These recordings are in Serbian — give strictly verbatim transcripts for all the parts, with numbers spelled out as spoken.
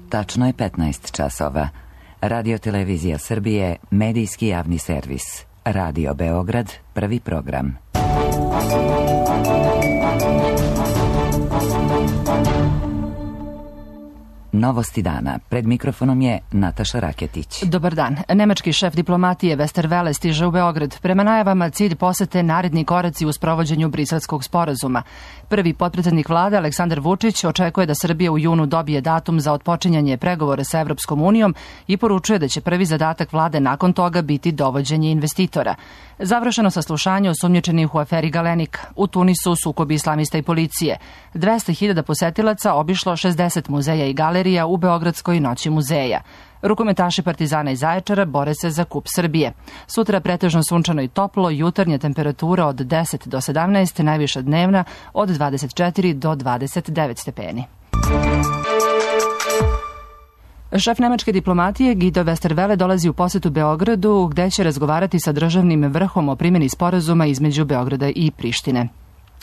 Tačno je petnaest časova. Radio Televizija Srbije, medijski javni servis. Radio Beograd, prvi program. Novosti dana. Pred mikrofonom je Nataša Raketić. Dobar dan. Nemački šef diplomatije Westerwelle stiže u Beograd. Prema najavama cilj posete naredni koraci u sprovođenju Briselskog sporazuma. Prvi potpredsednik vlade Aleksandar Vučić očekuje da Srbija u junu dobije datum za otpočinjanje pregovora sa Evropskom unijom i poručuje da će prvi zadatak vlade nakon toga biti dovođenje investitora. Završeno saslušanje osumnjičenih u aferi Galenik. U Tunisu sukobi islamista i policije. dvesta hiljada posetilaca obišlo šezdeset muzeja i galerija u Beogradskoj noći muzeja. Rukometaši Partizana iz Zaječara bore se za kup Srbije. Sutra pretežno sunčano i toplo, jutarnja temperatura od deset do sedamnaest, najviša dnevna od dvadeset četiri do dvadeset devet stepeni. Šef nemačke diplomatije Guido Westerwelle dolazi u posetu Beogradu, gde će razgovarati sa državnim vrhom o primjeni sporazuma između Beograda i Prištine.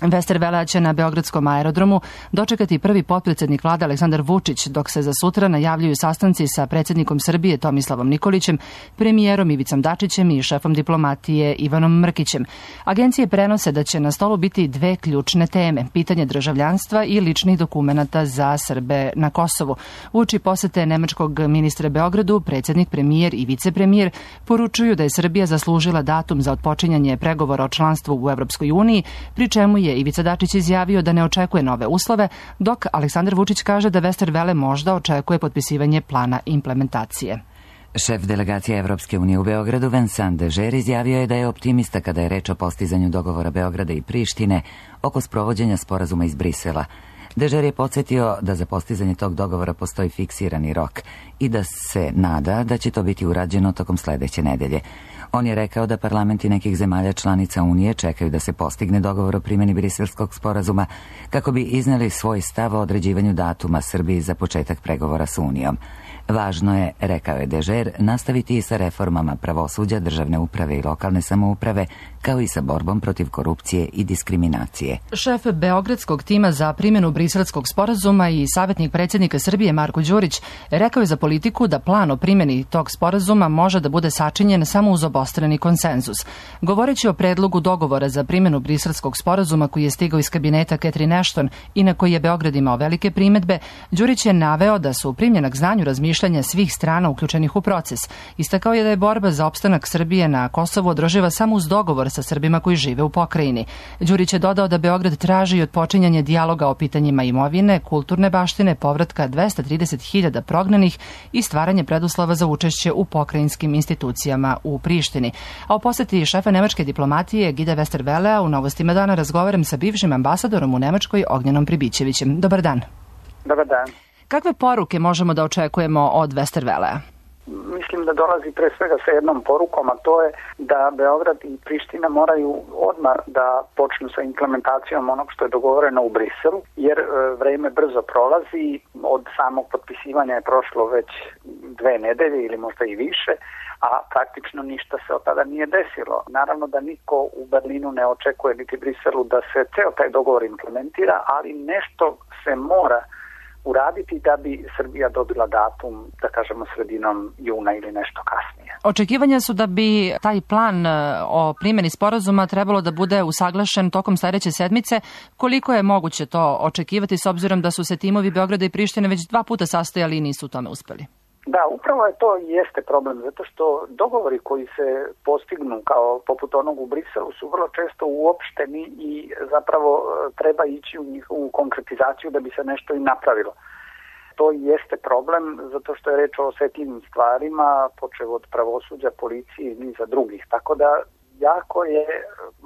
Westerwelle će na Beogradskom aerodromu dočekati prvi potpredsednik vlade Aleksandar Vučić, dok se za sutra najavljuju sastanci sa predsjednikom Srbije Tomislavom Nikolićem, premijerom Ivicom Dačićem i šefom diplomatije Ivanom Mrkićem. Agencije prenose da će na stolu biti dve ključne teme, pitanje državljanstva i ličnih dokumenata za Srbe na Kosovu. Uoči posete nemačkog ministra Beogradu, predsjednik, premijer i vicepremijer poručuju da je Srbija zaslužila datum za otpočinjanje pregovora o članstvu u Evropskoj uniji, pri čemu je Ivica Dačić izjavio da ne očekuje nove uslove, dok Aleksandar Vučić kaže da Westerwelle možda očekuje potpisivanje plana implementacije. Šef delegacije Evropske unije u Beogradu Vincent Dežer izjavio je da je optimista kada je reč o postizanju dogovora Beograda i Prištine oko sprovođenja sporazuma iz Brisela. Dežer je podsjetio da za postizanje tog dogovora postoji fiksirani rok i da se nada da će to biti urađeno tokom sledeće nedelje. On je rekao da parlamenti nekih zemalja članica Unije čekaju da se postigne dogovor o primjeni Briselskog sporazuma kako bi izneli svoj stav o određivanju datuma Srbiji za početak pregovora s Unijom. Važno je, rekao je Dežer, nastaviti i sa reformama pravosuđa, državne uprave i lokalne samouprave, kao i sa borbom protiv korupcije i diskriminacije. Šef Beogradskog tima za primjenu Briselskog sporazuma i savjetnik predsjednika Srbije Marko Đurić rekao je za Politiku da plan o primjeni tog sporazuma može da bude sačinjen samo uz obostrani konsenzus. Govoreći o predlogu dogovora za primjenu Briselskog sporazuma koji je stigao iz kabineta Catherine Ashton i na koji je Beograd imao velike primedbe, Đurić je naveo da su primljena k znanju razmišljanja svih strana uključenih u proces. Istakao je da je borba za opstanak Srbije na Kosovu održiva samo uz dogovor sa Srbima koji žive u pokrajini. Đurić je dodao da Beograd traži odpočinjanje dijaloga o pitanjima imovine, kulturne baštine, povratka dvesta trideset hiljada prognanih i stvaranje preduslova za učešće u pokrajinskim institucijama u Prištini. A o poseti šefa nemačke diplomatije Guida Westerwellea u Novostima dana razgovaram sa bivšim ambasadorom u Nemačkoj Ognjenom Pribićevićem. Dobar dan. Dobar dan. Kakve poruke možemo da očekujemo od Westerwellea? Mislim da dolazi pre svega sa jednom porukom, a to je da Beograd i Priština moraju odmah da počnu sa implementacijom onog što je dogovoreno u Briselu, jer vreme brzo prolazi, od samog potpisivanja je prošlo već dve nedelje ili možda i više, a praktično ništa se od tada nije desilo. Naravno da niko u Berlinu ne očekuje niti Briselu da se ceo taj dogovor implementira, ali nešto se mora uraditi da bi Srbija dobila datum, da kažemo, sredinom juna ili nešto kasnije. Očekivanja su da bi taj plan o primjeni sporazuma trebalo da bude usaglašen tokom sledeće sedmice. Koliko je moguće to očekivati s obzirom da su se timovi Beograda i Prištine već dva puta sastojali i nisu u tome uspeli? Da, upravo je to i jeste problem, zato što dogovori koji se postignu kao poput onog u Briselu su vrlo često uopšteni i zapravo treba ići u njihovu konkretizaciju da bi se nešto i napravilo. To i jeste problem, zato što je reč o osetljivim stvarima, počev od pravosuđa, policije i niza drugih, tako da jako je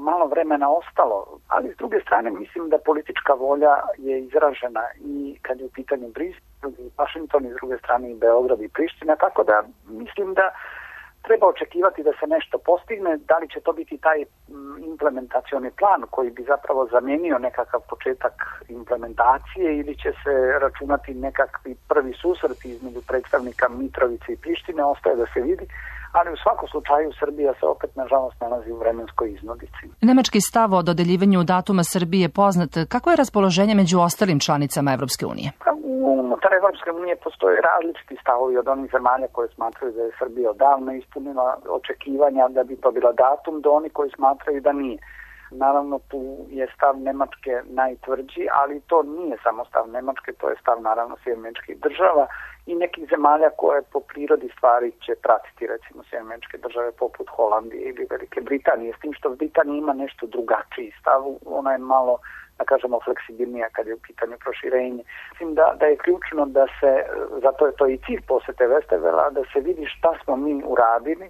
malo vremena ostalo, ali s druge strane mislim da politička volja je izražena i kad je u pitanju Brisel i Washington i s druge strane i Beograd i Priština, tako da mislim da treba očekivati da se nešto postigne, da li će to biti taj implementacioni plan koji bi zapravo zamenio nekakav početak implementacije ili će se računati nekakvi prvi susret između predstavnika Mitrovice i Prištine, ostaje da se vidi, ali u svakom slučaju Srbija se opet nažalost nalazi u vremenskoj iznudici. Nemački stav o dodeljivanju datuma Srbije je poznat. Kako je raspoloženje među ostalim članicama Evropske unije? U unutar Evropske unije postoje različiti stavovi od onih zemalja koje smatraju da je Srbija odavno ispunila očekivanja da bi to bila datum, do onih koji smatraju da nije. Naravno, tu je stav Nemačke najtvrđi, ali to nije samo stav Nemačke, to je stav naravno Sjedinjenih Američkih Država i nekih zemalja koje po prirodi stvari će pratiti, recimo Sjedinjene Američke Države poput Holandije ili Velike Britanije, s tim što Britanija ima nešto drugačiji stav, ona je malo, da kažemo, fleksibilnija kad je u pitanju proširenje. Mislim da, da je ključno da se, zato je to i cilj posete Westerwella, da se vidi šta smo mi uradili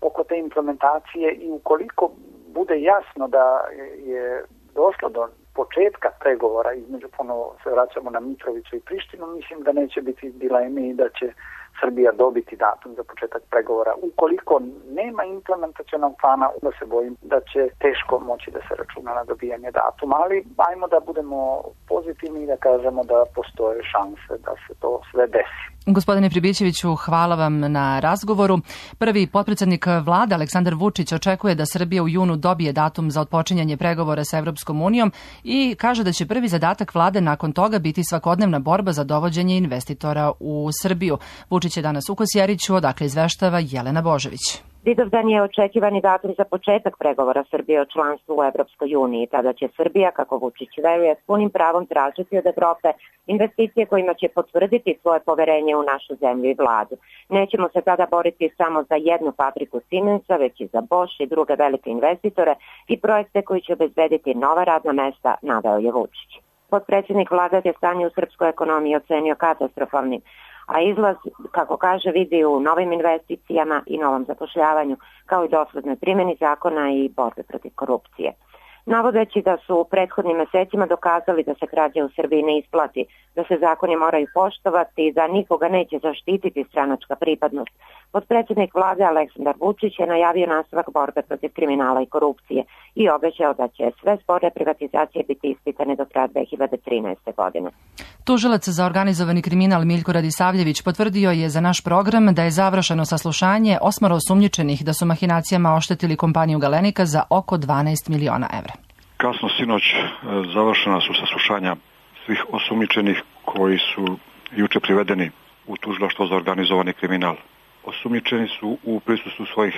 oko te implementacije i ukoliko bude jasno da je došlo do početka pregovora između, ponovo se vraćamo na Mitrovića i Prištinu, mislim da neće biti dileme i da će Srbija dobiti datum za početak pregovora. Ukoliko nema implementacionog plana, onda se bojim da će teško moći da se računa na dobijanje datuma, ali ajmo da budemo pozitivni i da kažemo da postoje šanse da se to sve desi. Gospodine Pribićeviću, hvala vam na razgovoru. Prvi potpredsednik vlade Aleksandar Vučić očekuje da Srbija u junu dobije datum za otpočinjanje pregovora sa Evropskom unijom i kaže da će prvi zadatak vlade nakon toga biti svakodnevna borba za dovođenje investitora u Srbiju. Vučić je danas u Kosjeriću, odakle izveštava Jelena Božević. Vidovdan je očekivani datum za početak pregovora Srbije o članstvu u Evropskoj uniji. Tada će Srbija, kako Vučić veruje, s punim pravom tražiti od Evrope investicije kojima će potvrditi svoje poverenje u našu zemlju i vladu. Nećemo se tada boriti samo za jednu fabriku Siemensa, već i za Bosch i druge velike investitore i projekte koji će obezbediti nova radna mesta, naveo je Vučić. Potpredsjednik vlade je stanje u srpskoj ekonomiji ocenio katastrofalnim, a izlaz, kako kaže, vidi u novim investicijama i novom zapošljavanju, kao i doslednoj primjeni zakona i borbe protiv korupcije. Navodeći da su u prethodnim mesecima dokazali da se krađa u Srbiji ne isplati, da se zakoni moraju poštovati i da nikoga neće zaštititi stranačka pripadnost, potpredsjednik vlade Aleksandar Vučić je najavio nastavak borbe protiv kriminala i korupcije i obećao da će sve spore privatizacije biti ispitane do kraja dve hiljade trinaeste. godine. Tužilac za organizovani kriminal Miljko Radisavljević potvrdio je za naš program da je završeno saslušanje osmoro osumnjičenih da su mahinacijama oštetili kompaniju Galenika za oko dvanaest miliona evra. Kasno sinoć završena su saslušanja svih osumnjičenih koji su juče privedeni u tužilaštvo za organizovani kriminal. Osumnjičeni su u prisustvu svojih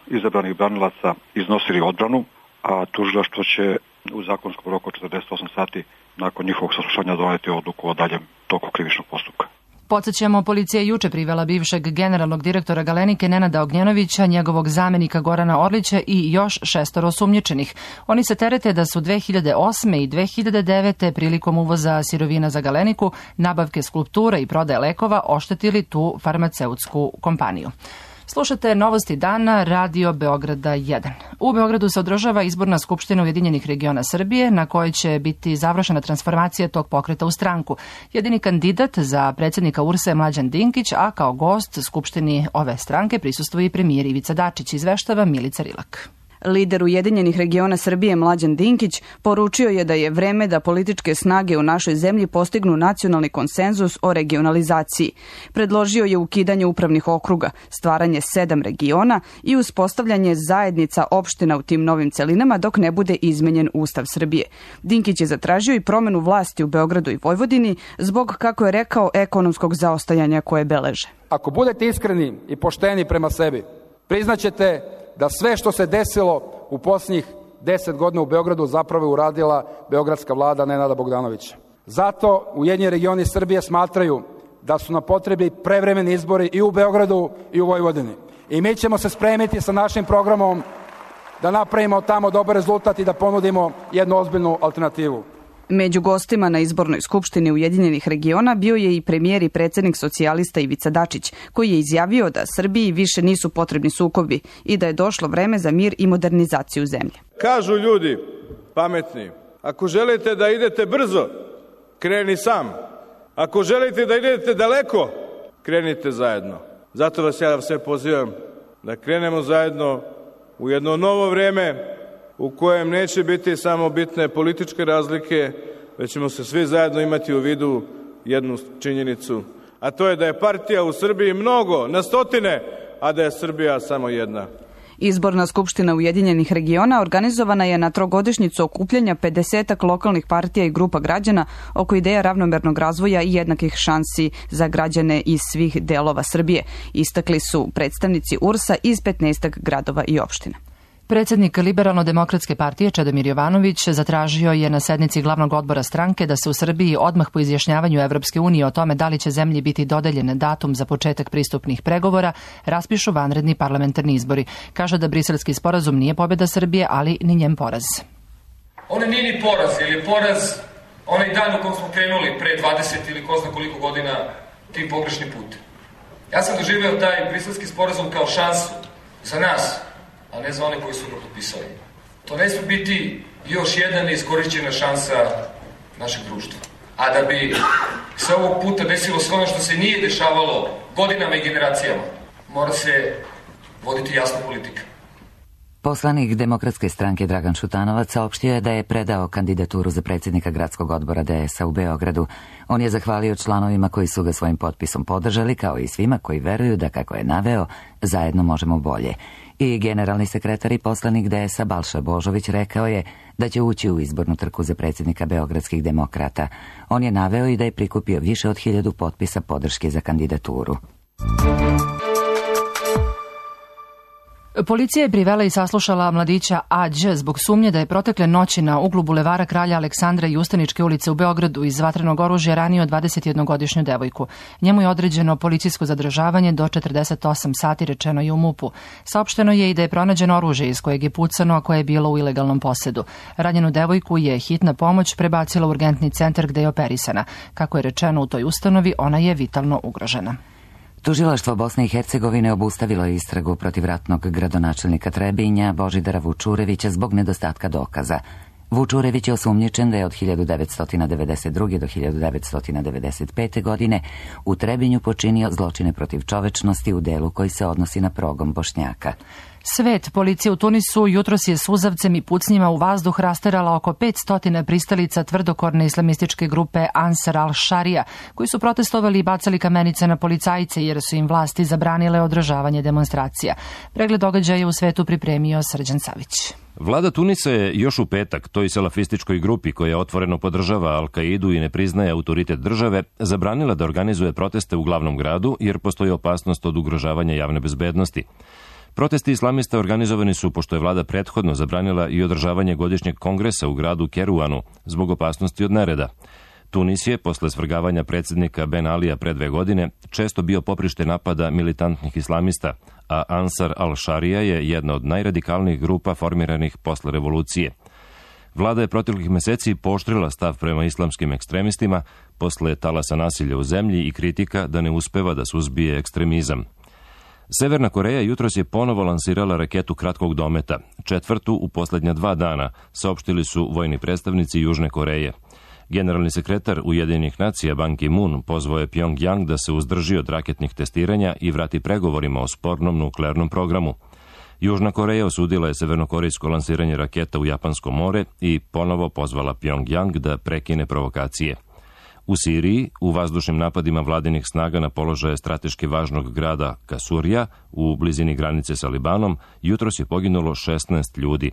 izabranih branilaca iznosili odbranu, a tužilaštvo će u zakonskom roku četrdeset osam sati nakon njihovog saslušanja doneti odluku o daljem toku krivičnog postupka. Podsećamo, policija je juče privela bivšeg generalnog direktora Galenike Nenada Ognjanovića, njegovog zamenika Gorana Orlića i još šestoro osumnjičenih. Oni se terete da su dve hiljade osme i dve hiljade devete prilikom uvoza sirovina za Galeniku, nabavke skulptura i prodaje lekova oštetili tu farmaceutsku kompaniju. Slušate Novosti dana, Radio Beograda jedan. U Beogradu se održava izborna skupština Ujedinjenih regiona Srbije, na kojoj će biti završena transformacija tog pokreta u stranku. Jedini kandidat za predsjednika U R S A je Mlađan Dinkić, a kao gost skupštini ove stranke prisustvuje i premijer Ivica Dačić, izveštava Milica Rilak. Lider Ujedinjenih regiona Srbije Mlađan Dinkić poručio je da je vreme da političke snage u našoj zemlji postignu nacionalni konsenzus o regionalizaciji. Predložio je ukidanje upravnih okruga, stvaranje sedam regiona i uspostavljanje zajednica opština u tim novim celinama dok ne bude izmenjen Ustav Srbije. Dinkić je zatražio i promenu vlasti u Beogradu i Vojvodini zbog, kako je rekao, ekonomskog zaostajanja koje beleže. Ako budete iskreni i pošteni prema sebi, priznaćete da sve što se desilo u posljednjih deset godina u Beogradu zapravo je uradila beogradska vlada Nenada Bogdanovića. Zato Ujedinjeni regioni Srbije smatraju da su nam potrebni prevremeni izbori i u Beogradu i u Vojvodini. I mi ćemo se spremiti sa našim programom da napravimo tamo dobar rezultat i da ponudimo jednu ozbiljnu alternativu. Među gostima na izbornoj skupštini Ujedinjenih regiona bio je i premijer i predsjednik socijalista Ivica Dačić, koji je izjavio da Srbiji više nisu potrebni sukobi i da je došlo vreme za mir i modernizaciju zemlje. Kažu ljudi pametni, ako želite da idete brzo, kreni sam. Ako želite da idete daleko, krenite zajedno. Zato vas ja sve pozivam da krenemo zajedno u jedno novo vreme u kojem neće biti samo bitne političke razlike, već ćemo se svi zajedno imati u vidu jednu činjenicu, a to je da je partija u Srbiji mnogo, na stotine, a da je Srbija samo jedna. Izborna skupština Ujedinjenih regiona organizovana je na trogodišnjicu okupljanja pedesetak lokalnih partija i grupa građana oko ideja ravnomernog razvoja i jednakih šansi za građane iz svih delova Srbije. Istakli su predstavnici U R S-a iz petnaestak gradova i opština. Predsednik Liberalno-demokratske partije Čedomir Jovanović zatražio je na sednici glavnog odbora stranke da se u Srbiji odmah po izjašnjavanju Evropske unije o tome da li će zemlji biti dodeljen datum za početak pristupnih pregovora raspišu vanredni parlamentarni izbori. Kaže da Briselski sporazum nije pobjeda Srbije, ali ni njen poraz. On nije ni poraz, jer je poraz onaj dan u kom smo krenuli pre dvadeset ili ko zna koliko godina tim pogrešnim putem. Ja sam doživeo taj Briselski sporazum kao šansu za nas, a ne za one koji su ga potpisali. To ne smije biti još jedna neiskorišćena šansa našeg društva. A da bi se ovog puta desilo sve ono što se nije dešavalo godinama i generacijama, mora se voditi jasna politika. Poslanik Demokratske stranke Dragan Šutanovac saopštio je da je predao kandidaturu za predsjednika gradskog odbora D S A u Beogradu. On je zahvalio članovima koji su ga svojim potpisom podržali, kao i svima koji veruju da, kako je naveo, zajedno možemo bolje. I generalni sekretar i poslanik D S A Balša Božović rekao je da će ući u izbornu trku za predsjednika beogradskih demokrata. On je naveo i da je prikupio više od hiljadu potpisa podrške za kandidaturu. Policija je privela i saslušala mladića A Đ zbog sumnje da je protekle noći na uglu bulevara Kralja Aleksandra i Ustaničke ulice u Beogradu iz vatrenog oružja ranio dvadesetjednogodišnju devojku. Njemu je određeno policijsko zadržavanje do četrdeset osam sati, rečeno je u MUP-u. Saopšteno je i da je pronađeno oružje iz kojeg je pucano, a koje je bilo u ilegalnom posedu. Ranjenu devojku je hitna pomoć prebacila u urgentni centar gde je operisana. Kako je rečeno u toj ustanovi, ona je vitalno ugrožena. Tužilaštvo Bosne i Hercegovine obustavilo je istragu protiv ratnog gradonačelnika Trebinja Božidara Vučurevića zbog nedostatka dokaza. Vučurević je osumnjičen da je od hiljadu devetsto devedeset druge do hiljadu devetsto devedeset pete. godine u Trebinju počinio zločine protiv čovečnosti u delu koji se odnosi na progon Bošnjaka. Svet, policija u Tunisu jutros je suzavcem i pucnjima u vazduh rasterala oko petsto pristalica tvrdokorne islamističke grupe Ansar al-Sharia, koji su protestovali i bacali kamenice na policajce jer su im vlasti zabranile održavanje demonstracija. Pregled događaja u svetu pripremio Srđan Savić. Vlada Tunisa je još u petak toj salafističkoj grupi koja otvoreno podržava Al-Kaidu i ne priznaje autoritet države, zabranila da organizuje proteste u glavnom gradu jer postoji opasnost od ugrožavanja javne bezbednosti. Protesti islamista organizovani su pošto je vlada prethodno zabranila i održavanje godišnjeg kongresa u gradu Keruanu zbog opasnosti od nereda. Tunis je, posle svrgavanja predsjednika Ben Alija pre dve godine, često bio poprište napada militantnih islamista, a Ansar al-Sharia je jedna od najradikalnijih grupa formiranih posle revolucije. Vlada je proteklih meseci pooštrila stav prema islamskim ekstremistima posle talasa nasilja u zemlji i kritika da ne uspeva da suzbije ekstremizam. Severna Koreja jutros je ponovo lansirala raketu kratkog dometa, četvrtu u poslednja dva dana, saopštili su vojni predstavnici Južne Koreje. Generalni sekretar Ujedinjenih nacija Ban Ki-moon pozvao je Pjongjang da se uzdrži od raketnih testiranja i vrati pregovorima o spornom nuklearnom programu. Južna Koreja osudila je severnokorejsko lansiranje raketa u Japansko more i ponovo pozvala Pjongjang da prekine provokacije. U Siriji, u vazdušnim napadima vladinih snaga na položaje strateški važnog grada Kasurja u blizini granice sa Libanom, jutros je poginulo šesnaest ljudi.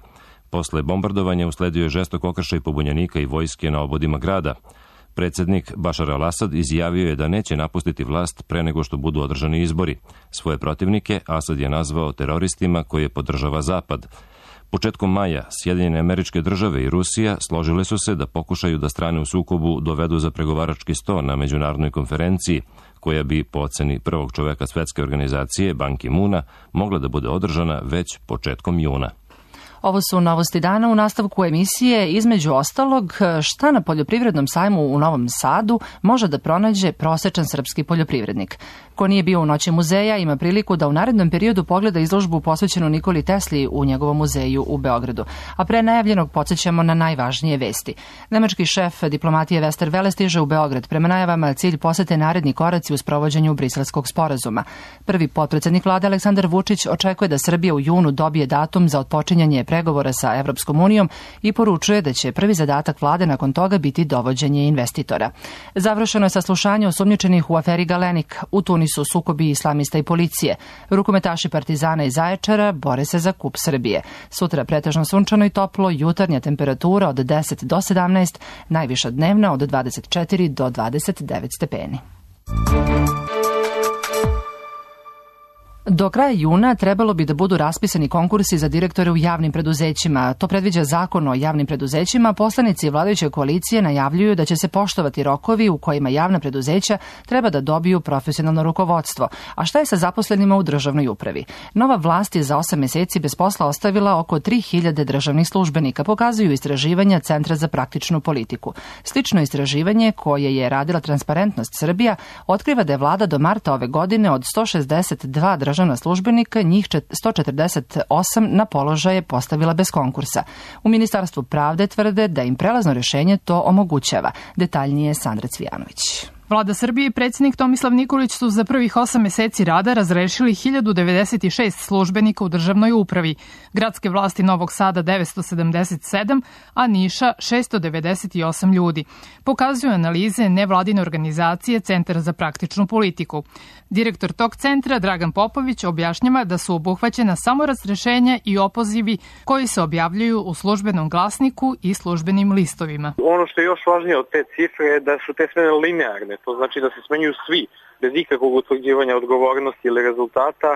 Posle bombardovanja usledio je žestok okršaj pobunjenika i vojske na obodima grada. Predsjednik Bašar al-Asad izjavio je da neće napustiti vlast pre nego što budu održani izbori. Svoje protivnike Asad je nazvao teroristima koje podržava Zapad. Početkom maja Sjedinjene Američke Države i Rusija složile su se da pokušaju da strane u sukobu dovedu za pregovarački sto na međunarodnoj konferenciji, koja bi po oceni prvog čoveka svetske organizacije Ban Ki-moona mogla da bude održana već početkom juna. Ovo su novosti dana. U nastavku emisije, između ostalog, šta na poljoprivrednom sajmu u Novom Sadu može da pronađe prosečan srpski poljoprivrednik. Ko nije bio u Noći muzeja ima priliku da u narednom periodu pogleda izložbu posvećenu Nikoli Tesli u njegovom muzeju u Beogradu. A pre najavljenog podsjećamo na najvažnije vesti. Nemački šef diplomatije Westerwelle stiže u Beograd. Prema najavama cilj posete naredni koraci u sprovođenju Briselskog sporazuma. Prvi potpredsednik vlade Aleksandar Vučić očekuje da Srbija u junu dobije datum za otpočinjanje pregovora sa Evropskom unijom i poručuje da će prvi zadatak vlade nakon toga biti dovođenje investitora. Završeno je saslušanje osumnjičenih u aferi Galenik. U Tunisu Uzrokovani su sukobi islamista i policije. Rukometaši Partizana i Zaječara bore se za kup Srbije. Sutra pretežno sunčano i toplo, jutarnja temperatura od deset do sedamnaest, najviša dnevna od dvadeset četiri do dvadeset devet stepeni. Do kraja juna trebalo bi da budu raspisani konkursi za direktore u javnim preduzećima. To predviđa Zakon o javnim preduzećima. Poslanici vladajuće koalicije najavljuju da će se poštovati rokovi u kojima javna preduzeća treba da dobiju profesionalno rukovodstvo. A šta je sa zaposlenima u državnoj upravi? Nova vlast je za osam meseci bez posla ostavila oko tri hiljade državnih službenika, pokazuju istraživanja Centra za praktičnu politiku. Slično istraživanje koje je radila Transparentnost Srbija otkriva da je vlada do marta ove godine od sto šezdeset dva državna državna službenika, njih sto četrdeset osam na položaje postavila bez konkursa. U Ministarstvu pravde tvrde da im prelazno rešenje to omogućava. Detaljnije Sandra Cvijanović. Vlada Srbije i predsjednik Tomislav Nikolić su za prvih osam meseci rada razrešili hiljadu devedeset šest službenika u državnoj upravi, gradske vlasti Novog Sada devetsto sedamdeset sedam, a Niša šesto devedeset osam ljudi. Pokazuju analize nevladine organizacije Centar za praktičnu politiku. Direktor tog centra, Dragan Popović, objašnjava da su obuhvaćena samo razrešenja i opozivi koji se objavljuju u službenom glasniku i službenim listovima. Ono što je još važnije od te cifre je da su te smene linearne. To znači da se smenjuju svi, bez ikakvog utvrđivanja odgovornosti ili rezultata,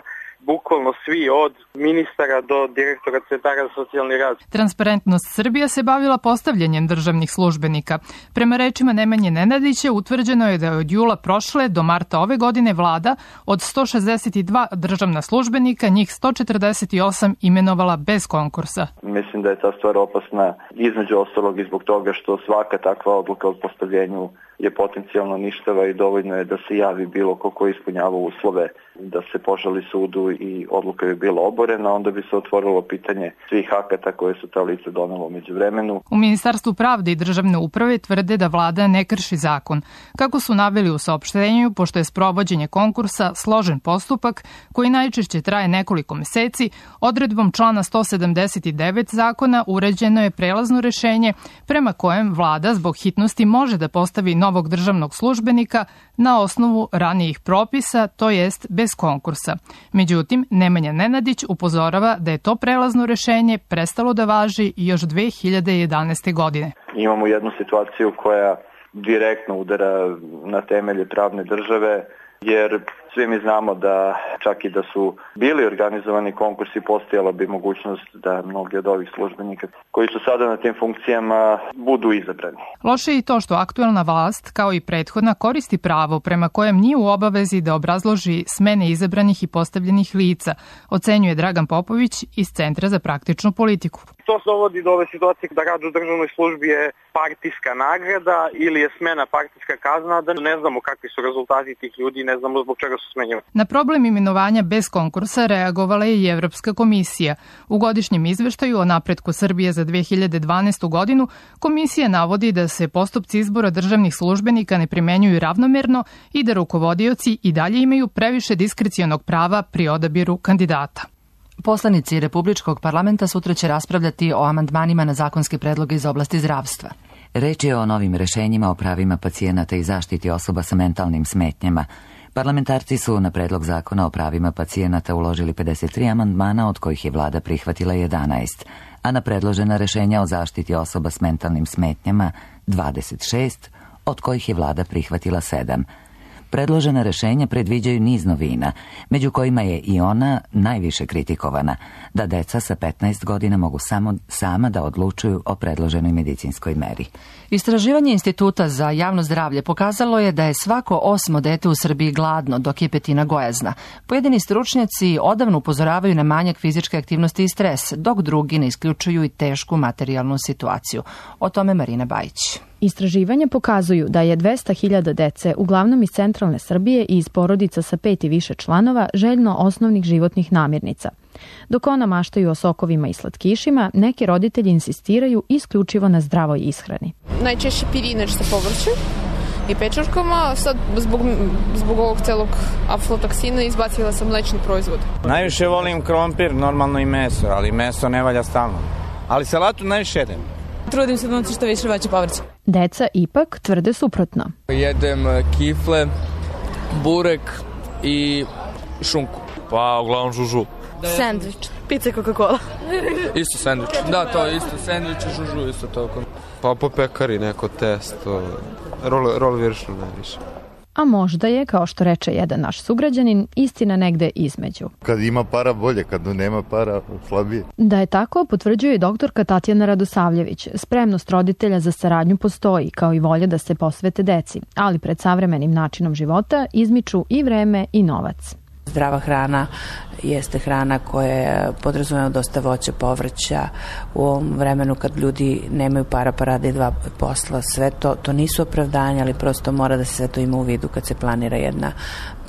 bukvalno svi od ministara do direktora centara za socijalni rad. Transparentnost Srbija se bavila postavljanjem državnih službenika. Prema rečima Nemanje Nenadića, utvrđeno je da je od jula prošle do marta ove godine vlada od sto šezdeset dva državna službenika, njih sto četrdeset osam imenovala bez konkursa. Mislim da je ta stvar opasna između ostalog i zbog toga što svaka takva odluka o postavljenju je potencijalno ništava i dovoljno je da se javi bilo ko ko ispunjava uslove da se požali sudu i odluka bi bila oborena, onda bi se otvorilo pitanje svih akata koje su ta lica donela umeđu vremenu. U Ministarstvu pravde i državne uprave tvrde da vlada ne krši zakon. Kako su naveli u saopštenju, pošto je sprovođenje konkursa složen postupak koji najčešće traje nekoliko meseci, odredbom člana sto sedamdeset devet zakona uređeno je prelazno rešenje prema kojem vlada zbog hitnosti može da postavi novog državnog službenika na osnovu ranijih propisa, to jest bez konkursa. Međutim, Nemanja Nenadić upozorava da je to prelazno rešenje prestalo da važi još dve hiljade jedanaeste. godine. Imamo jednu situaciju koja direktno udara na temelje pravne države, jer svi mi znamo da čak i da su bili organizovani konkursi, postojala bi mogućnost da mnogi od ovih službenika koji su sada na tim funkcijama budu izabrani. Loše je i to što aktuelna vlast, kao i prethodna, koristi pravo prema kojem nije u obavezi da obrazloži smene izabranih i postavljenih lica, ocenjuje Dragan Popović iz Centra za praktičnu politiku. To se dovodi do ove situacije da rad u državnoj službi je partijska nagrada ili je smena partijska kazna, da ne znamo kakvi su rezultati tih ljudi, ne znamo zbog čega su smenjeni. Na problem imenovanja bez konkursa reagovala je i Evropska komisija. U godišnjem izveštaju o napretku Srbije za dve hiljade dvanaestu. godinu komisija navodi da se postupci izbora državnih službenika ne primenjuju ravnomerno i da rukovodioci i dalje imaju previše diskrecionog prava pri odabiru kandidata. Poslanici Republičkog parlamenta sutra će raspravljati o amandmanima na zakonske predloge iz oblasti zdravstva. Reč je o novim rešenjima o pravima pacijenata i zaštiti osoba sa mentalnim smetnjama. Parlamentarci su na predlog zakona o pravima pacijenata uložili pedeset tri amandmana, od kojih je vlada prihvatila jedanaest, a na predložena rešenja o zaštiti osoba s mentalnim smetnjama dvadeset šest, od kojih je vlada prihvatila sedam. Predložena rešenja predviđaju niz novina, među kojima je i ona najviše kritikovana, da deca sa petnaest godina mogu samo sama da odlučuju o predloženoj medicinskoj meri. Istraživanje Instituta za javno zdravlje pokazalo je da je svako osmo dete u Srbiji gladno, dok je petina gojazna. Pojedini stručnjaci odavno upozoravaju na manjak fizičke aktivnosti i stres, dok drugi ne isključuju i tešku materijalnu situaciju. O tome Marina Bajić. Istraživanja pokazuju da je dvesta hiljada dece, uglavnom iz centralne Srbije i iz porodica sa pet i više članova, željno osnovnih životnih namirnica. Dok ona maštaju o sokovima i slatkišima, neki roditelji insistiraju isključivo na zdravoj ishrani. Najčešće pirinač sa povrćem i pečurkama, sad zbog, zbog ovog celog aflatoksina izbacila sam mlečni proizvod. Najviše volim krompir, normalno i meso, ali meso ne valja stalno. Ali salatu najviše jedem. Trudim se da noći što više voća povrća. Deca ipak tvrde suprotno. Jedem kifle, burek, i šunku. Pa uglavnom žužu. Sandvič. Pizza i Coca-Cola. Isto sandvič. Da, to je isto sandvič i žužu, isto toliko. Pa po pekari neko testo, rol, rol viršno najviše. A možda je, kao što reče jedan naš sugrađanin, istina negde između. Kad ima para bolje, kad nema para slabije. Da je tako, potvrđuje i doktorka Tatjana Radosavljević. Spremnost roditelja za saradnju postoji, kao i volja da se posvete deci, ali pred savremenim načinom života izmiču i vreme i novac. Zdrava hrana jeste hrana koja podrazumeva dosta voća, povrća u ovom vremenu kad ljudi nemaju para pa rade dva posla. Sve to, to nisu opravdanja, ali prosto mora da se sve to ima u vidu kad se planira jedna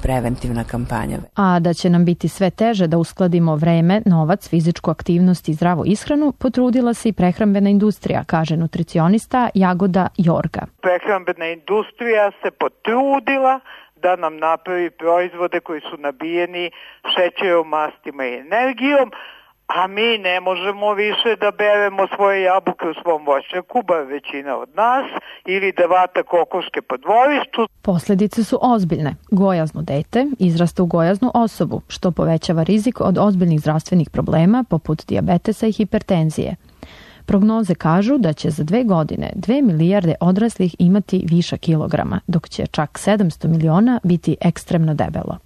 preventivna kampanja. A da će nam biti sve teže da uskladimo vreme, novac, fizičku aktivnost i zdravu ishranu, potrudila se i prehrambena industrija, kaže nutricionista Jagoda Jorga. Prehrambena industrija se potrudila da nam napravi proizvode koji su nabijeni šećerom, mastima i energijom, a mi ne možemo više da beremo svoje jabuke u svom voćnjaku, bar većina od nas, ili da vata kokoške po dvorištu. Posljedice su ozbiljne. Gojazno dete izrasta u gojaznu osobu, što povećava rizik od ozbiljnih zdravstvenih problema poput dijabetesa i hipertenzije. Prognoze kažu da će za dve godine dve milijarde odraslih imati viša kilograma, dok će čak sedamsto miliona biti ekstremno debelo.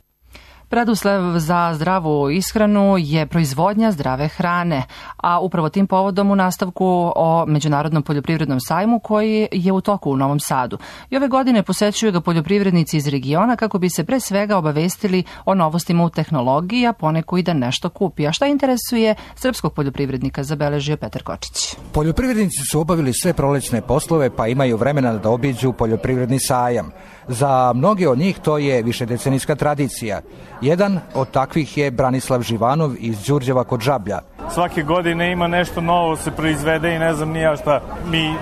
Preduslov za zdravu ishranu je proizvodnja zdrave hrane, a upravo tim povodom u nastavku o Međunarodnom poljoprivrednom sajmu koji je u toku u Novom Sadu. I ove godine posećuju ga poljoprivrednici iz regiona kako bi se pre svega obavestili o novostima u tehnologiji, a poneku i da nešto kupi. A šta interesuje srpskog poljoprivrednika, zabeležio Petar Kočić. Poljoprivrednici su obavili sve prolećne poslove pa imaju vremena da obiđu poljoprivredni sajam. Za mnoge od njih to je višedecenijska tradicija. Jedan od takvih je Branislav Živanov iz Đurđeva kod Žablja. Svake godine ima nešto novo se proizvede i ne znam ni ja šta mi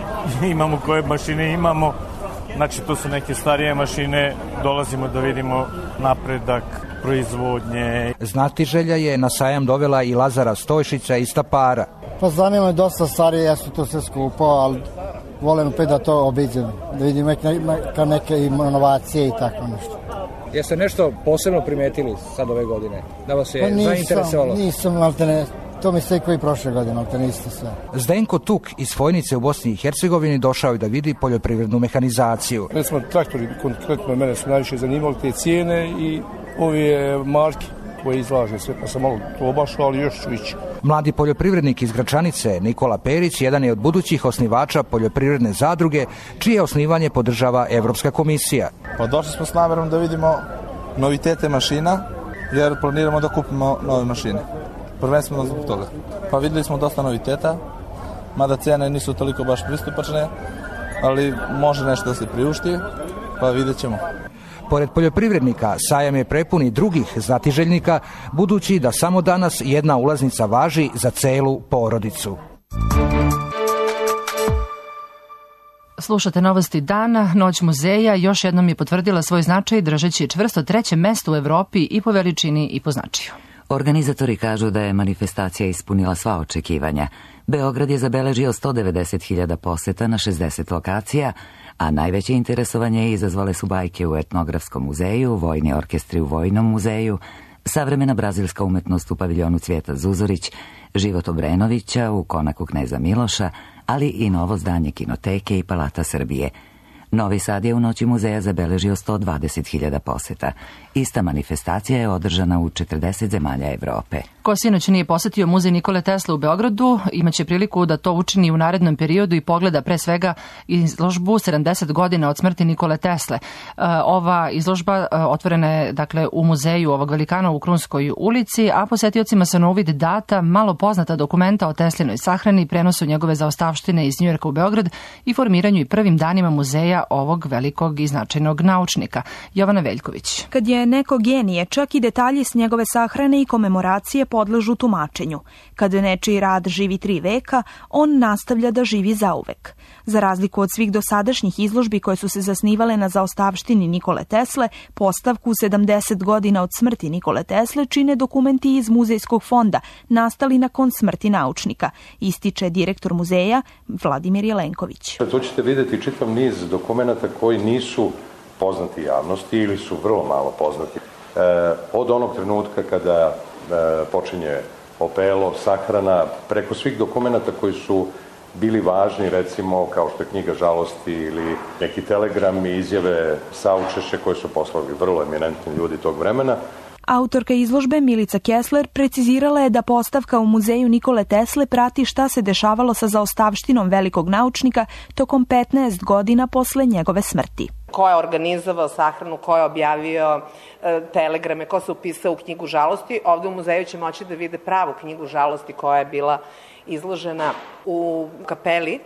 imamo, koje mašine imamo. Znači to su neke starije mašine, dolazimo da vidimo napredak proizvodnje. Znatiželja je na sajam dovela i Lazara Stojšića iz Stapara. Pa zanima je dosta starije, ja su to sve skupo, ali volim opet da to obiđem, da vidim neke, neke inovacije i tako nešto. Jeste nešto posebno primetili sad ove godine? Da vas je pa nisam, zainteresovalo? Nisam, ali te ne, to mi se koji prošle godine, ali te niste sve. Zdenko Tuk iz Fojnice u Bosni i Hercegovini došao je da vidi poljoprivrednu mehanizaciju. Recimo, traktori konkretno mene su najviše zanimali te cijene i ove marke koje izlaže sve, pa sam malo to obašao, ali još ću ići. Mladi poljoprivrednik iz Gračanice, Nikola Perić, jedan je od budućih osnivača poljoprivredne zadruge, čije osnivanje podržava Evropska komisija. Pa došli smo s namerom da vidimo novitete mašina, jer planiramo da kupimo nove mašine. Prvenstveno zbog toga. Pa videli smo dosta noviteta, mada cene nisu toliko baš pristupačne, ali može nešto da se priušti, pa vidjet ćemo. Pored poljoprivrednika, sajam je prepun i drugih znatiželjnika, budući da samo danas jedna ulaznica važi za celu porodicu. Slušate novosti dana, Noć muzeja još jednom je potvrdila svoj značaj držeći čvrsto treće mesto u Evropi i po veličini i po značaju. Organizatori kažu da je manifestacija ispunila sva očekivanja. Beograd je zabeležio sto devedeset hiljada poseta na šezdeset lokacija, a najveće interesovanje izazvale su bajke u etnografskom muzeju, vojni orkestri u vojnom muzeju, savremena brazilska umetnost u paviljonu Cvijeta Zuzorić, život Obrenovića u konaku kneza Miloša, ali i novo zdanje kinoteke i Palata Srbije. Novi Sad je u Noći muzeja zabeležio sto dvadeset hiljada poseta. Ista manifestacija je održana u četrdeset zemalja Evrope. Ko sinoć nije posetio muzej Nikole Tesle u Beogradu, imaće priliku da to učini u narednom periodu i pogleda pre svega izložbu sedamdeset godina od smrti Nikole Tesle. Ova izložba otvorena je dakle u muzeju ovog velikana u Krunskoj ulici, a posetiocima se na uvid data malo poznata dokumenta o Teslinoj sahrani, prenosu njegove zaostavštine iz Njujorka u Beograd i formiranju i prvim danima muzeja ovog velikog i značajnog naučnika. Jovana Veljković. Kad je neko genije, čak i detalji s njegove sahrane i komemoracije podležu tumačenju. Kad nečiji rad živi tri veka, on nastavlja da živi zauvek. Za razliku od svih dosadašnjih izložbi koje su se zasnivale na zaostavštini Nikole Tesle, postavku sedamdeset godina od smrti Nikole Tesle čine dokumenti iz muzejskog fonda, nastali nakon smrti naučnika, ističe direktor muzeja Vladimir Jelenković. Tu ćete vidjeti čitav niz dokumenata koji nisu poznati javnosti ili su vrlo malo poznati. od onog trenutka kada počinje opelo, sahrana, preko svih dokumenta koji su bili važni, recimo kao što je knjiga žalosti ili neki telegrami, izjave, saučešće koje su poslali vrlo eminentni ljudi tog vremena. Autorka izložbe Milica Kessler precizirala je da postavka u muzeju Nikole Tesle prati šta se dešavalo sa zaostavštinom velikog naučnika tokom petnaest godina posle njegove smrti. Ko je organizovao sahranu, ko je objavio e, telegrame, ko se upisao u knjigu žalosti. Ovde u muzeju će moći da vide pravu knjigu žalosti koja je bila izložena u kapeli.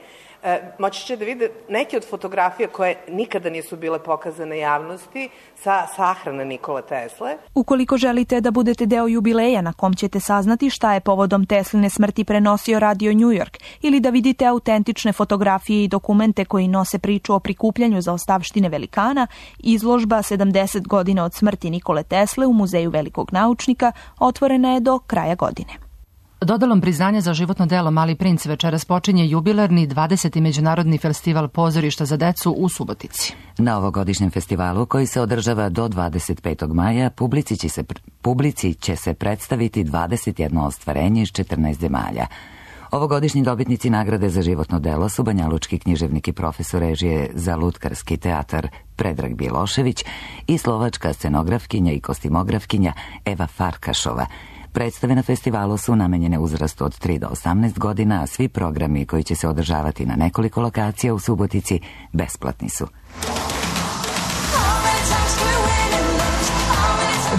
E, moći će da vide neke od fotografija koje nikada nisu bile pokazane javnosti sa sahrane Nikole Tesle. Ukoliko želite da budete deo jubileja na kom ćete saznati šta je povodom Tesline smrti prenosio Radio New York ili da vidite autentične fotografije i dokumente koji nose priču o prikupljanju zaostavštine velikana, izložba sedamdeset godina od smrti Nikole Tesle u Muzeju velikog naučnika otvorena je do kraja godine. Dodalom priznanja za životno delo Mali princ večeras počinje jubilarni dvadeseti međunarodni festival pozorišta za decu u Subotici. Na ovogodišnjem festivalu, koji se održava do dvadeset petog maja, publici će se, publici će se predstaviti dvadeset jedno ostvarenje iz četrnaest zemalja. Ovogodišnji dobitnici nagrade za životno delo su banjalučki književnik i profesor režije za lutkarski teatar Predrag Bjelošević i slovačka scenografkinja i kostimografkinja Eva Farkašova. Predstave na festivalu su namenjene uzrastu od tri do osamnaest godina, a svi programi koji će se održavati na nekoliko lokacija u Subotici besplatni su.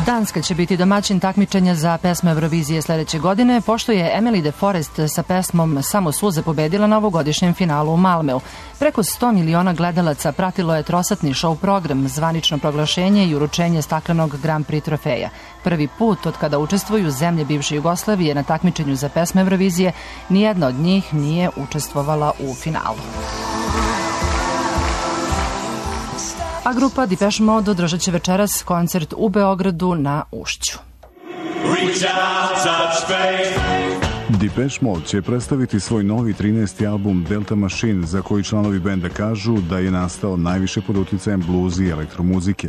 Danska će biti domaćin takmičenja za pesme Eurovizije sledeće godine, pošto je Emily de Forest sa pesmom Samo suze pobedila na ovogodišnjem finalu u Malmeu. Preko sto miliona gledalaca pratilo je trosatni show program, zvanično proglašenje i uručenje staklenog Grand Prix trofeja. Prvi put od kada učestvuju zemlje bivše Jugoslavije na takmičenju za pesme Eurovizije, nijedna od njih nije učestvovala u finalu. A grupa Depeche Mode održat će večeras koncert u Beogradu na Ušću. Depeche Mode će predstaviti svoj novi trinaesti album Delta Machine, za koji članovi benda kažu da je nastao najviše pod uticajem blues i elektromuzike.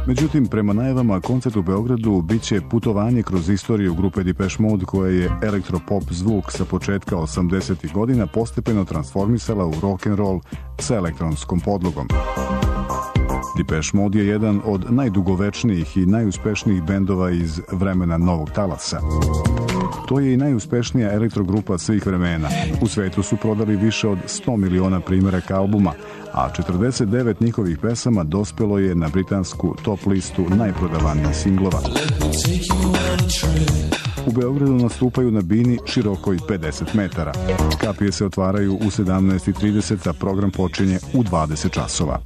Međutim, prema najavama, koncert u Beogradu biće putovanje kroz istoriju grupe Depeche Mode, koja je elektropop zvuk sa početka osamdesetih godina postepeno transformisala u rock'n'roll sa elektronskom podlogom. Depeche Mode je jedan od najdugovečnijih i najuspešnijih bendova iz vremena novog talasa. To je i najuspešnija elektrogrupa svih vremena. U svetu su prodali više od sto miliona primjeraka albuma, a četrdeset devet njihovih pesama dospelo je na britansku top listu najprodavanijih singlova. U Beogradu nastupaju na bini širokoj pedeset metara. Kapije se otvaraju u sedamnaest i trideset, a program počinje u dvadeset časova.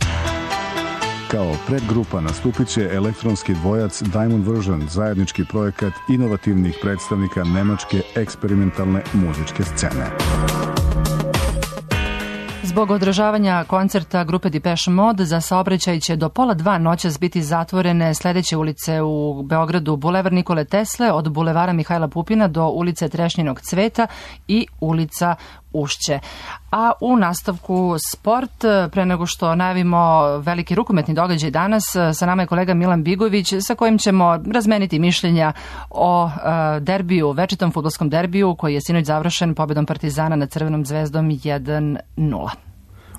Kao predgrupa nastupit će elektronski dvojac Diamond Version, zajednički projekat inovativnih predstavnika nemačke eksperimentalne muzičke scene. Zbog održavanja koncerta grupe Depeche Mode za saobraćaj će do pola dva noćas biti zatvorene sledeće ulice u Beogradu: Bulevar Nikole Tesle od Bulevara Mihajla Pupina do ulice Trešnjinog cveta i ulica Ušće. A u nastavku sport, pre nego što najavimo veliki rukometni događaj danas, sa nama je kolega Milan Bigović, sa kojim ćemo razmeniti mišljenja o derbiju, večitom fudbalskom derbiju koji je sinoć završen pobedom Partizana nad Crvenom zvezdom jedan nula.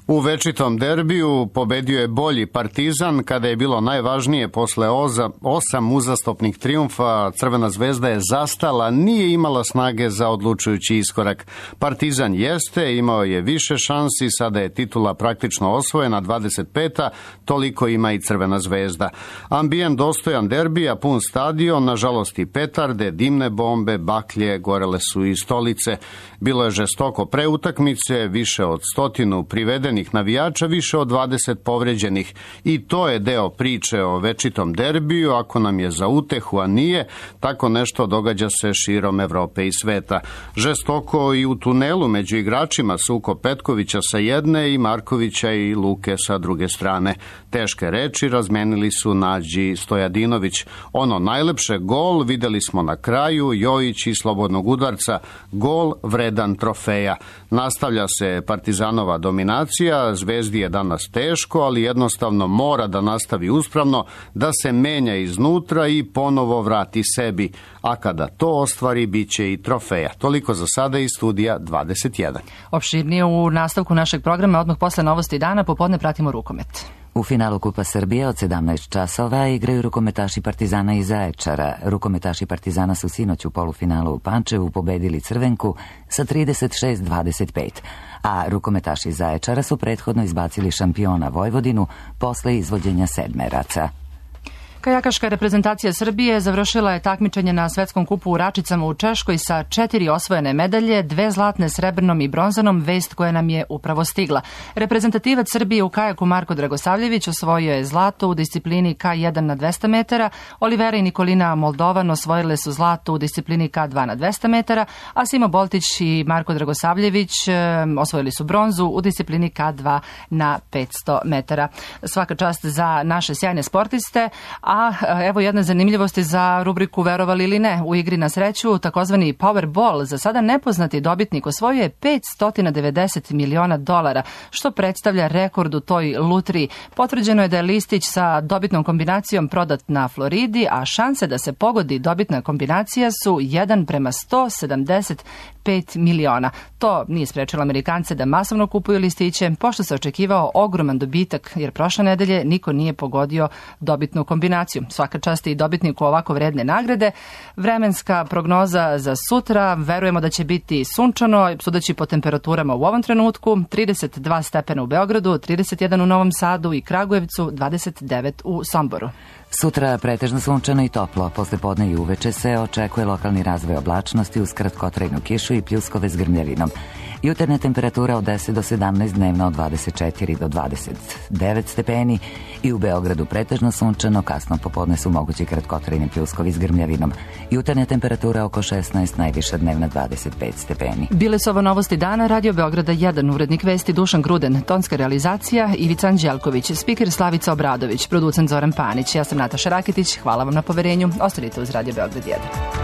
U večitom derbiju pobedio je bolji Partizan. Kada je bilo najvažnije posle oza, osam uzastopnih trijumfa, Crvena zvezda je zastala, nije imala snage za odlučujući iskorak. Partizan jeste, imao je više šansi, sada je titula praktično osvojena, dvadeset peta, toliko ima i Crvena zvezda. Ambijent dostojan derbija, pun stadion, nažalost i petarde, dimne bombe, baklje, gorele su i stolice. Bilo je žestoko pre utakmice, više od stotinu privedenih navijača, više od dvadeset povređenih. I to je deo priče o večitom derbiju. Ako nam je za utehu, a nije, tako nešto događa se širom Evrope i sveta. Žestoko i u tunelu među igračima, sukob Petkovića sa jedne i Markovića i Luke sa druge strane. Teške reči razmenili su Nađi Stojadinović. Ono najlepše, gol, videli smo na kraju, Jojić i slobodnog udarca, gol vredan trofeja. Nastavlja se Partizanova dominacija drugačija, Zvezdi je danas teško, ali jednostavno mora da nastavi uspravno, da se menja iznutra i ponovo vrati sebi, a kada to ostvari, bit će i trofeja. Toliko za sada iz studija dvadeset jedan. Opširnije u nastavku našeg programa, odmah posle novosti dana, popodne pratimo rukomet. U finalu Kupa Srbije od sedamnaest časova igraju rukometaši Partizana iz Zaječara. Rukometaši Partizana su sinoć u polufinalu u Pančevu pobedili Crvenku sa trideset šest dvadeset pet, a rukometaši iz Zaječara su prethodno izbacili šampiona Vojvodinu posle izvođenja sedmeraca. Kajakaška reprezentacija Srbije završila je takmičenje na Svetskom kupu u Račicama u Češkoj sa četiri osvojene medalje, dve zlatne, srebrnom i bronzanom, vest koja nam je upravo stigla. Reprezentativac Srbije u kajaku Marko Dragosavljević osvojio je zlato u disciplini K jedan na dvesta metara, Olivera i Nikolina Moldovan osvojile su zlato u disciplini K dva na dvesta metara, a Simo Boltić i Marko Dragosavljević osvojili su bronzu u disciplini K dva na petsto metara. Svaka čast za naše sjajne sportiste. A evo jedne zanimljivosti za rubriku Verovali ili ne. U igri na sreću, takozvani Powerball, za sada nepoznati dobitnik osvojio je petsto devedeset miliona dolara, što predstavlja rekord u toj lutriji. Potvrđeno je da je listić sa dobitnom kombinacijom prodat na Floridi, a šanse da se pogodi dobitna kombinacija su jedan prema sto sedamdeset pet miliona. To nije sprečilo Amerikance da masovno kupuju listiće, pošto se očekivao ogroman dobitak, jer prošle nedelje niko nije pogodio dobitnu kombinaciju. Svaka čast i dobitniku ovako vredne nagrade. Vremenska prognoza za sutra, verujemo da će biti sunčano, sudeći po temperaturama u ovom trenutku, trideset dva stepena u Beogradu, trideset jedan u Novom Sadu i Kragujevcu, dvadeset devet u Somboru. Sutra pretežno sunčano i toplo, posle podne i uveče se očekuje lokalni razvoj oblačnosti uz kratkotrajnu kišu i pljuskove s grmljavinom. Jutarnja temperatura od deset do sedamnaest, dnevna od dvadeset četiri do dvadeset devet stepeni i u Beogradu pretežno sunčano, kasno popodne su mogući kratkotrajni pljuskovi s grmljavinom. Jutarnja temperatura oko šesnaest, najviša dnevna dvadeset pet stepeni. Bile su ovo novosti dana, Radio Beograda jedan, urednik vesti Dušan Gruden, tonska realizacija Ivica Anđelković, spiker Slavica Obradović, producent Zoran Panić. Ja sam Nataša Raketić, hvala vam na poverenju, ostanite uz Radio Beograd jedan.